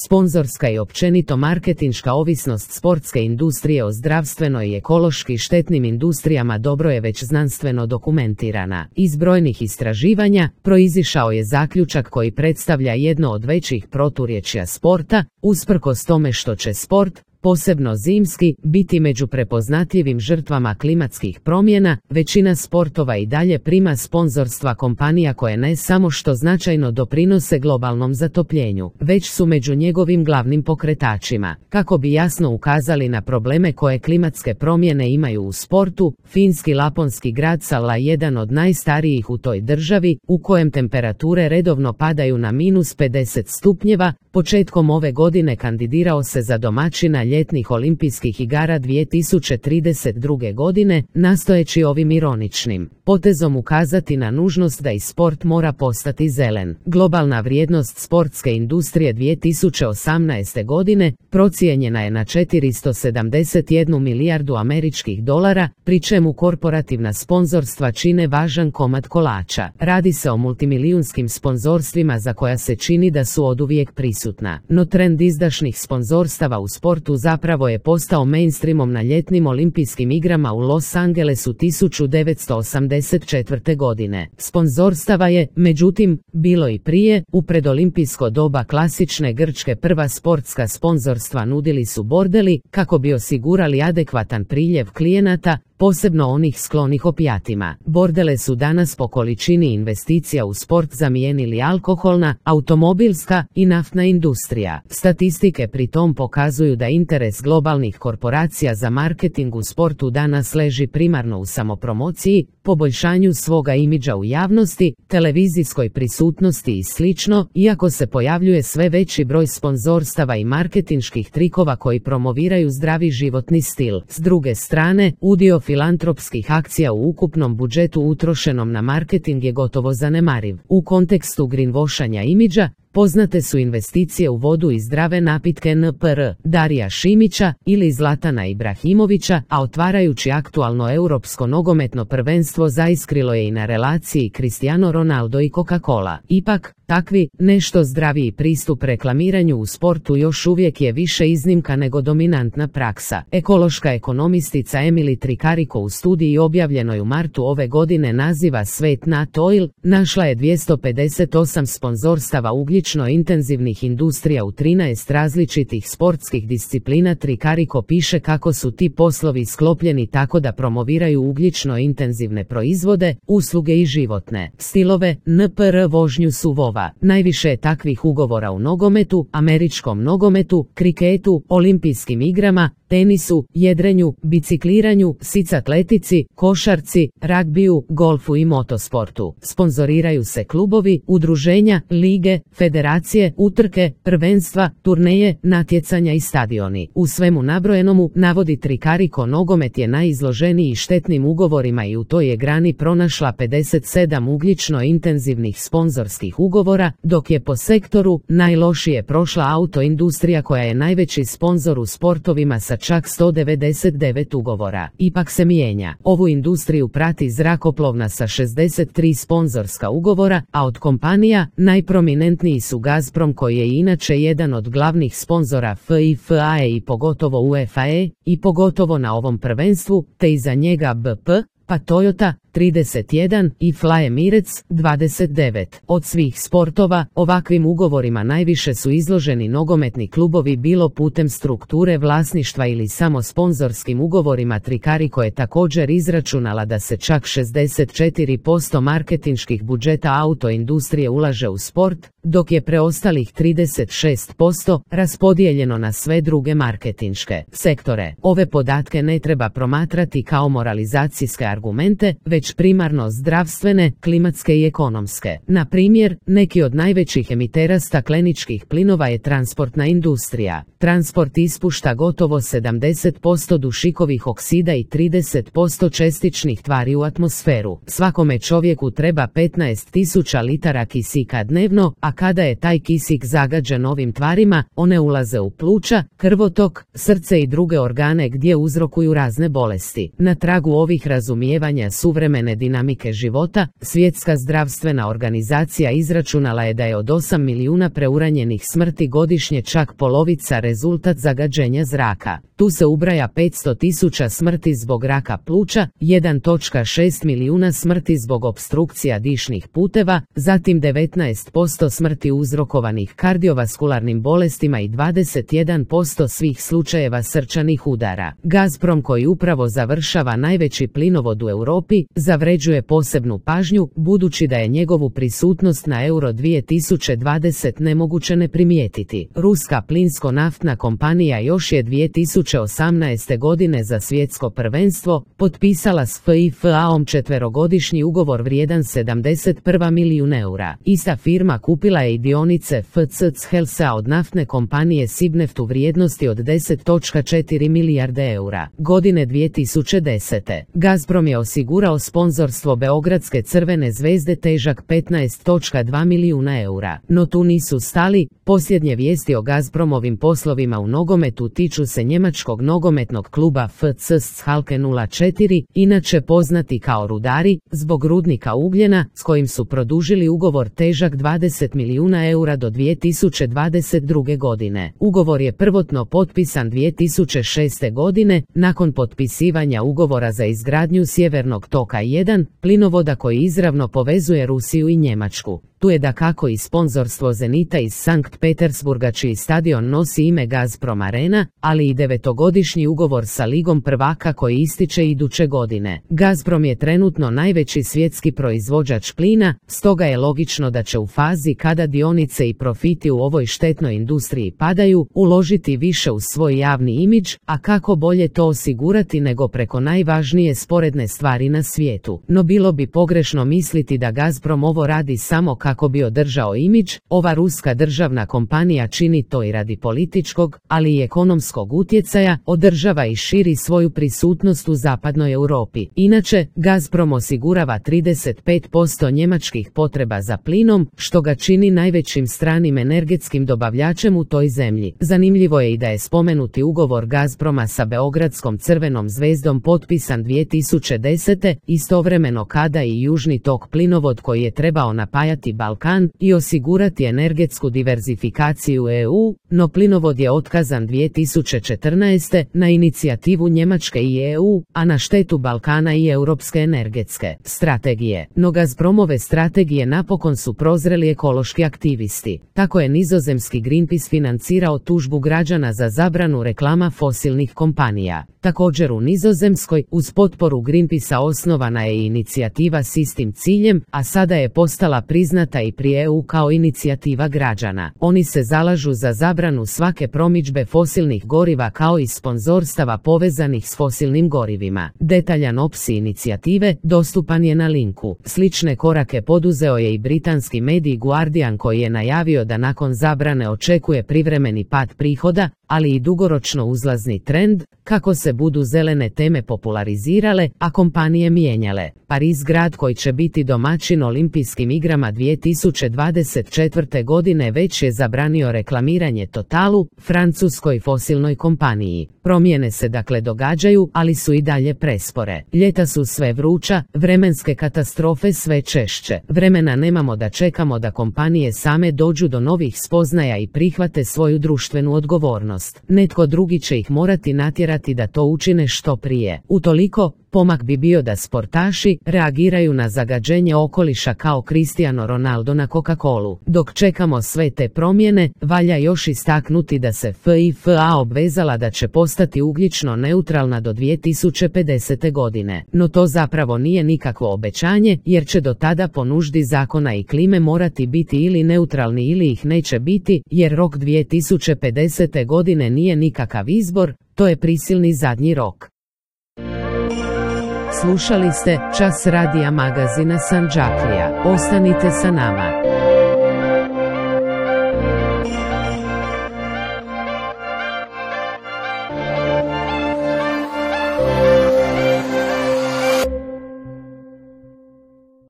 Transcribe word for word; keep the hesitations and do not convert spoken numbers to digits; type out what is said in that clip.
Sponzorska i općenito marketinška ovisnost sportske industrije o zdravstveno i ekološki štetnim industrijama dobro je već znanstveno dokumentirana. Iz brojnih istraživanja proizišao je zaključak koji predstavlja jedno od većih proturječja sporta, usprkos tome što će sport, posebno zimski, biti među prepoznatljivim žrtvama klimatskih promjena. Većina sportova i dalje prima sponzorstva kompanija koje ne samo što značajno doprinose globalnom zatopljenju, već su među njegovim glavnim pokretačima. Kako bi jasno ukazali na probleme koje klimatske promjene imaju u sportu, finski laponski grad Salla, jedan od najstarijih u toj državi, u kojem temperature redovno padaju na minus pedeset stupnjeva, početkom ove godine kandidirao se za domaćina ljetnih olimpijskih igara dvije tisuće trideset druge. godine, nastojeći ovim ironičnim potezom ukazati na nužnost da i sport mora postati zelen. Globalna vrijednost sportske industrije dvije tisuće osamnaeste. godine procijenjena je na četiristo sedamdeset jednu milijardu američkih dolara, pri čemu korporativna sponzorstva čine važan komad kolača. Radi se o multimilijunskim sponzorstvima za koja se čini da su oduvijek prisutna. No trend izdašnih sponzorstava u sportu zapravo je postao mainstreamom na ljetnim olimpijskim igrama u Los Angelesu tisuću devetsto osamdeset četvrte. godine. Sponzorstava je, međutim, bilo i prije. U predolimpijsko doba klasične grčke prva sportska sponzorstva nudili su bordeli, kako bi osigurali adekvatan priljev klijenata, posebno onih sklonih opijatima. Bordele su danas po količini investicija u sport zamijenili alkoholna, automobilska i naftna industrija. Statistike pri tom pokazuju da interes globalnih korporacija za marketing u sportu danas leži primarno u samopromociji, poboljšanju svoga imidža u javnosti, televizijskoj prisutnosti i slično, iako se pojavljuje sve veći broj sponzorstava i marketinških trikova koji promoviraju zdravi životni stil. S druge strane, udio filantropskih akcija u ukupnom budžetu utrošenom na marketing je gotovo zanemariv. U kontekstu greenwashanja imidža, poznate su investicije u vodu i zdrave napitke N P R Darija Šimića ili Zlatana Ibrahimovića, a otvarajući aktualno europsko nogometno prvenstvo zaiskrilo je i na relaciji Cristiano Ronaldo i Coca-Cola. Ipak, takvi, nešto zdraviji pristup reklamiranju u sportu još uvijek je više iznimka nego dominantna praksa. Ekološka ekonomistica Emily Tricarico u studiji objavljenoj u martu ove godine naziva Svet Nat Oil našla je dvjesto pedeset osam sponzorstava ugljično intenzivnih industrija u trinaest različitih sportskih disciplina. Tricarico piše kako su ti poslovi sklopljeni tako da promoviraju ugljično intenzivne proizvode, usluge i životne stilove, N P R vožnju suvova. Najviše je takvih ugovora u nogometu, američkom nogometu, kriketu, olimpijskim igrama, tenisu, jedrenju, bicikliranju, sic atletici, košarci, ragbiju, golfu i motosportu. Sponzoriraju se klubovi, udruženja, lige, federacije, utrke, prvenstva, turneje, natjecanja i stadioni. U svemu nabrojenomu, navodi Tricarico, nogomet je najizloženiji štetnim ugovorima i u toj je grani pronašla pedeset sedam ugljično intenzivnih sponzorskih ugovora, dok je po sektoru najlošije prošla autoindustrija koja je najveći sponzor u sportovima sa čak sto devedeset devet ugovora. Ipak se mijenja. Ovu industriju prati zrakoplovna sa šezdeset tri sponzorska ugovora, a od kompanija najprominentniji su Gazprom, koji je inače jedan od glavnih sponzora FIFA i pogotovo UEFA i pogotovo na ovom prvenstvu, te iza njega B P, pa Toyota trideset jedan i Fly Emirates dvadeset devet. Od svih sportova, ovakvim ugovorima najviše su izloženi nogometni klubovi, bilo putem strukture vlasništva ili samo sponzorskim ugovorima. Tricarico je također izračunala da se čak šezdeset četiri posto marketinških budžeta autoindustrije ulaže u sport, dok je preostalih trideset šest posto raspodijeljeno na sve druge marketinške sektore. Ove podatke ne treba promatrati kao moralizacijske argumente, već primarno zdravstvene, klimatske i ekonomske. Na primjer, neki od najvećih emitera stakleničkih plinova je transportna industrija. Transport ispušta gotovo sedamdeset posto dušikovih oksida i trideset posto čestičnih tvari u atmosferu. Svakome čovjeku treba petnaest tisuća litara kisika dnevno, a kada je taj kisik zagađen ovim tvarima, one ulaze u pluća, krvotok, srce i druge organe gdje uzrokuju razne bolesti. Na tragu ovih razumijevanja suvremene suvremene dinamike života, Svjetska zdravstvena organizacija izračunala je da je od osam milijuna preuranjenih smrti godišnje čak polovica rezultat zagađenja zraka. Tu se ubraja petsto tisuća smrti zbog raka pluća, jedan zarez šest milijuna smrti zbog opstrukcija dišnih puteva, zatim devetnaest posto smrti uzrokovanih kardiovaskularnim bolestima i dvadeset jedan posto svih slučajeva srčanih udara. Gazprom, koji upravo završava najveći plinovod u Europi, zavređuje posebnu pažnju, budući da je njegovu prisutnost na Euro dvije tisuće dvadeset nemoguće ne primijetiti. Ruska plinsko-naftna kompanija još je dvije tisuće osamnaeste. godine za svjetsko prvenstvo potpisala s F I F A-om četverogodišnji ugovor vrijedan sedamdeset jedan milijun eura. Ista firma kupila je i dionice F C C Helsa od naftne kompanije Sibneft u vrijednosti od deset zarez četiri milijarde eura. Godine dvije tisuće desete. Gazprom je osigurao sponzorstvo Beogradske Crvene zvezde težak petnaest zarez dva milijuna eura. No tu nisu stali, posljednje vijesti o Gazpromovim poslovima u nogometu tiču se njemačkog nogometnog kluba F C Schalke nula četiri, inače poznati kao Rudari, zbog rudnika ugljena, s kojim su produžili ugovor težak dvadeset milijuna eura do dvije tisuće dvadeset druge. godine. Ugovor je prvotno potpisan dvije tisuće šeste. godine, nakon potpisivanja ugovora za izgradnju Sjevernog toka jedan, plinovoda koji izravno povezuje Rusiju i Njemačku. Tu je dakako i sponzorstvo Zenita iz Sankt Petersburga, čiji stadion nosi ime Gazprom Arena, ali i devetogodišnji ugovor sa Ligom prvaka koji ističe iduće godine. Gazprom je trenutno najveći svjetski proizvođač plina, stoga je logično da će u fazi kada dionice i profiti u ovoj štetnoj industriji padaju, uložiti više u svoj javni imidž, a kako bolje to osigurati nego preko najvažnije sporedne stvari na svijetu. No bilo bi pogrešno misliti da Gazprom ovo radi samo kako Kako bi održao imidž, ova ruska državna kompanija čini to i radi političkog, ali i ekonomskog utjecaja, održava i širi svoju prisutnost u zapadnoj Europi. Inače, Gazprom osigurava trideset pet posto njemačkih potreba za plinom, što ga čini najvećim stranim energetskim dobavljačem u toj zemlji. Zanimljivo je i da je spomenuti ugovor Gazproma sa Beogradskom Crvenom zvezdom potpisan dvije tisuće desete. istovremeno kada i južni tok plinovod koji je trebao napajati Balkan i osigurati energetsku diverzifikaciju E U, no plinovod je otkazan dvije tisuće četrnaeste. na inicijativu Njemačke i E U, a na štetu Balkana i europske energetske strategije. No Gazpromove strategije napokon su prozreli ekološki aktivisti. Tako je nizozemski Greenpeace financirao tužbu građana za zabranu reklama fosilnih kompanija. Također u Nizozemskoj, uz potporu Greenpeacea osnovana je inicijativa s istim ciljem, a sada je postala priznata i pri E U kao inicijativa građana. Oni se zalažu za zabranu svake promidžbe fosilnih goriva kao i sponzorstava povezanih s fosilnim gorivima. Detaljan opis inicijative dostupan je na linku. Slične korake poduzeo je i britanski medij Guardian, koji je najavio da nakon zabrane očekuje privremeni pad prihoda, ali i dugoročno uzlazni trend, kako se budu zelene teme popularizirale, a kompanije mijenjale. Pariz, grad koji će biti domaćin Olimpijskim igrama dvije tisuće dvadeset četvrte. godine, već je zabranio reklamiranje Totalu, francuskoj fosilnoj kompaniji. Promjene se dakle događaju, ali su i dalje prespore. Ljeta su sve vruća, vremenske katastrofe sve češće. Vremena nemamo da čekamo da kompanije same dođu do novih spoznaja i prihvate svoju društvenu odgovornost. Netko drugi će ih morati natjerati da to učine što prije. Utoliko, pomak bi bio da sportaši reagiraju na zagađenje okoliša kao Cristiano Ronaldo na Coca-Colu. Dok čekamo sve te promjene, valja još istaknuti da se F I F A obvezala da će postati ugljično neutralna do dvije tisuće pedesete. godine. No to zapravo nije nikakvo obećanje, jer će do tada po nuždi zakona i klime morati biti ili neutralni ili ih neće biti, jer rok dvije tisuće pedesete. godine nije nikakav izbor, to je prisilni zadnji rok. Slušali ste Čas radija magazina Sandžaklija. Ostanite sa nama.